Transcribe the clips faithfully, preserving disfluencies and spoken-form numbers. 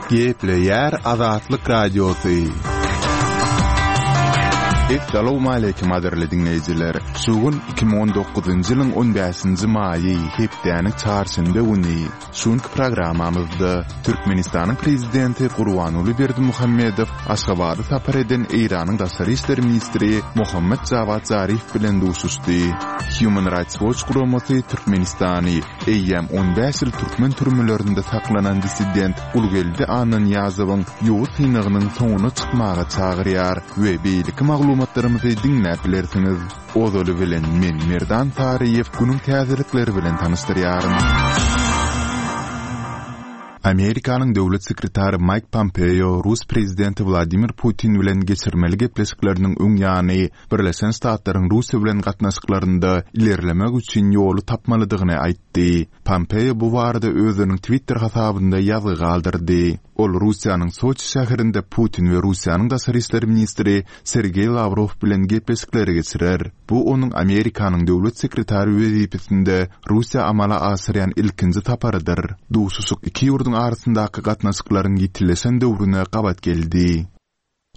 Gepleýär Azatlyk Radiosy. Essalawmaleýkim gadyrly diňleýjiler! Şu gün iki müň on dokuzynjy ýylyň on bäşinji maýy, hepdäniň çarşenbe güni. Şu günki programmamyzda Türkmenistanyň Prezidenti Gurbanguly Berdimuhamedow Aşgabada sapar eden Eýranyň daşary işler ministri Mohammad Jawad Zarif bilen duşuşdy. Human Rights Watch guramasy Türkmenistany eýýäm on bäş ýyl türkmen türmelerinde saklanan dissident Gulgeldi Annanyýazowyň ýowuz synagynyň soňuna çykmaga çagyrýar we beýleki maglumatlarymyzy diňläp bilersiňiz. Ozaly bilen men Merdan Saryýew günüň täzelikleri bilen tanyşdyrýaryn. Amerikanyň döwlet sekretary Maýk Pompeo rus prezidenti Wladimir Putin bilen geçirmeli gepleşikleriniň öň ýany Birleşen Ştatlaryň Russiýa bilen gatnaşyklarynda ilerlemek üçin ýoly tapmalydygyny aýtdy. Pompeo bu barada özüniň Twitter hasabynda ýazgy galdyrdy. Ol Russiýanyň Soçi şäherinde Putin we Russiýanyň daşary işler ministri Sergeý Lawrow bilen gepleşikleri geçirer. Bu onuň Amerikanyň döwlet sekretary wezipesinde Russiýa amala aşyrýan ilkinji saparydyr. Duşuşyk iki ýurduň arasyndaky gatnaşyklaryň ýitileşen döwrüne gabat geldi.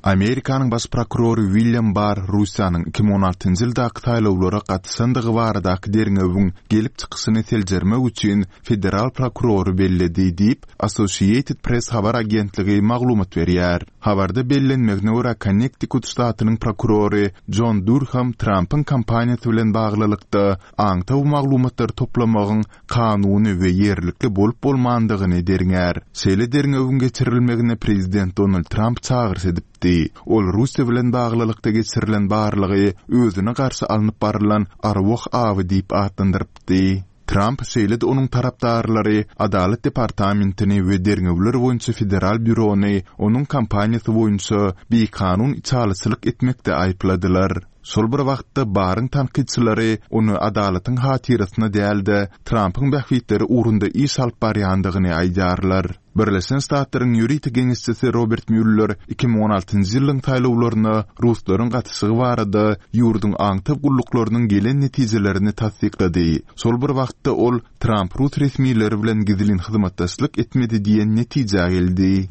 Amerikanyň baş prokurory William Barr Russiýanyň iki müň on altynjy ýyldaky saýlawlara gatyşandygy baradaky derňewiň gelip çykyşyny seljermek üçin federal prokurory belledi diýip, Associated Press habar agentligi maglumat berýär. Habarda bellenmegine görä, Konnektikut ştatynyň prokurory Jon Durham Trampyň kampaniýasy bilen baglylykda aňtaw maglumatlary toplamagyň kanuny we ýerlikli bolup-bolmandygyny derňär. Şeýle derňewiň geçirilmegine prezident Donald Tramp çagyryş edipdi. Ol Russiýa bilen baglylykda geçirilen barlagy özüne garşy alnyp barylan arwah awy diýip atlandyrypdy. Tramp, şeýle-de onuň tarapdarlary Adalat departamentini we derňewler boýunça federal býurony onuň kampaniýasy boýunça bikanun içalyçylyk etmekde aýypladylar. Şol bir wagtda, Barryň tankytçylary ony adalatyň hatyrasyna däl-de, Trampyň bähbitleri ugrunda iş alyp barýandygyny aýdýarlar. Birleşen Ştatlaryň ýörite geňeşçisi Robert Mueller iki müň on altynjy ýylyň saýlawlaryna ruslaryň gatyşygy barada ýurduň aňtaw gulluklarynyň gelen netijelerini tassyklady. Şol bir wagtda ol Tramp rus resmileri bilen gizlin hyzmatdaşlyk etmedi diýen netijä geldi.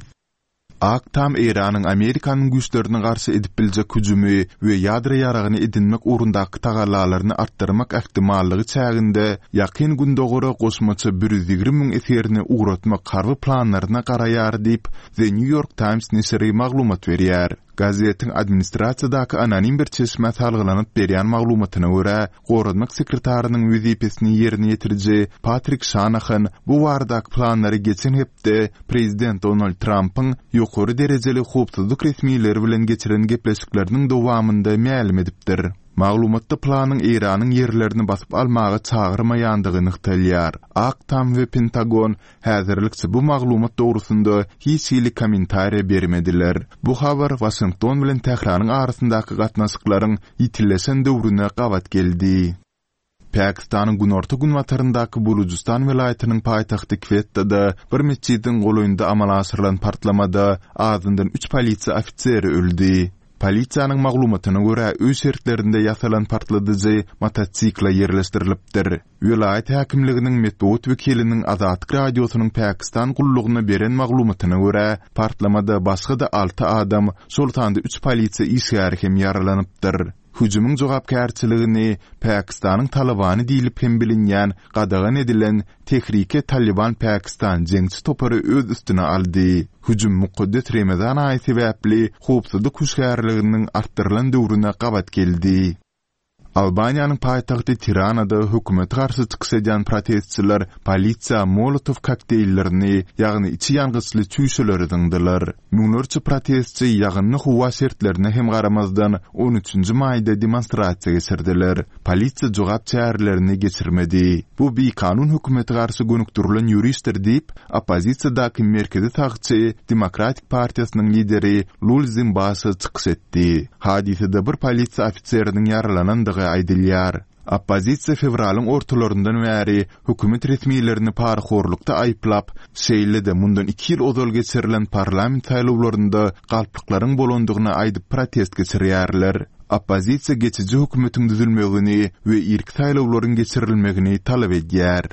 Ak Tam Eýranyň Amerikanyň güýçlerine garşy edip biljek hüjümi we ýadro ýaragyny edinmek ugrundaky tagallalaryny artdyrmak ähtimallygy çäginde Ýakyn Gündogara goşmaça bir ýüz ýigrimi müň esgerini ugratmak harby planlaryna garaýar diýip, The New York Times neşiri maglumat berýär. Gazetiň administrasiýadaky anonim bir çeşmä salgylanyp berýän maglumatyna görä, goranmak sekretarynyň wezipesini ýerine ýetiriji Patrik Şanahan bu baradaky planlary geçen hepde prezident Donald Trampyň ýokary derejeli howpsuzlyk resmileri bilen geçiren gepleşikleriniň dowamynda mälim edipdir. Maglumatda planyň Eýranyň ýerlerini basyp almaga çagyrmaýandygy nygtalýar. Ak Tam we Pentagon häzirlikçe bu maglumat dogrusynda hiç hili kommentariýa bermediler. Bu habar Waşington bilen Tähranyň arasyndaky gatnaşyklaryň ýitileşen döwrüne gabat geldi. Pakistanyň günorta-günbataryndaky Bulujystan welaýatynyň paýtagty Kwettada bir metjidiň golaýynda amala aşyrylan partlamada azyndan üç polisiýa ofiseri öldi. Polisiýanyň maglumatyna görä, öý şertlerinde ýasalan partladyjy motosikle ýerleşdirilipdir. Welaýat häkimliginiň metbugat wekiliniň Azatlyk Radiosynyň Pakistan gullugyna beren maglumatyna görä, partlamada başga-da alty adam, şol sanda üç polisiýa işgäri hem ýaralanypdyr. Hüjümiň jogapkärçiligini Pakistanyň Talybany diýlip hem bilinýän gadagan edilen Tehrike Talyban Pakistan jeňçi topary öz üstüne aldy. Hüjüm mukaddes Remezan aýy sebäpli howpsuzlyk hüşgärliginiň artdyrylan döwrüne gabat geldi. Albaniýanyň paýtagty Tiranada hökümete garşy çykyş edýän protestçiler polisiýa Molotow kokteýllerini, ýagny içi ýangyçly çüýşeleri zyňdylar. Müňlerçe protestçi ýagynly howa şertlerine hem garamazdan, on üçünji maýda demonstrasiýa geçirdiler. Polisiýa jogap çärelerini geçirmedi. Bu bikanun hökümete garşy gönükdirilen ýörişdir diýip, oppozisiýadaky merkezi sagçy Demokratik partiýasynyň lideri Lulzim Basha çykyş etdi. Hadysada bir polisiýa ofiseriniň ýaralanandygy aýdylýar. Oppozisiýa fewralyň ortalaryndan bäri hökümet resmilerini parahorlukda aýyplap, şeýle-de mundan iki ýyl ozal geçirilen parlament saýlawlarynda galplyklaryň bolandygyny aýdyp protest geçirýärler. Oppozisiýa geçiji hökümetiň düzülmegini we irki saýlawlaryň geçirilmegini talap edýär.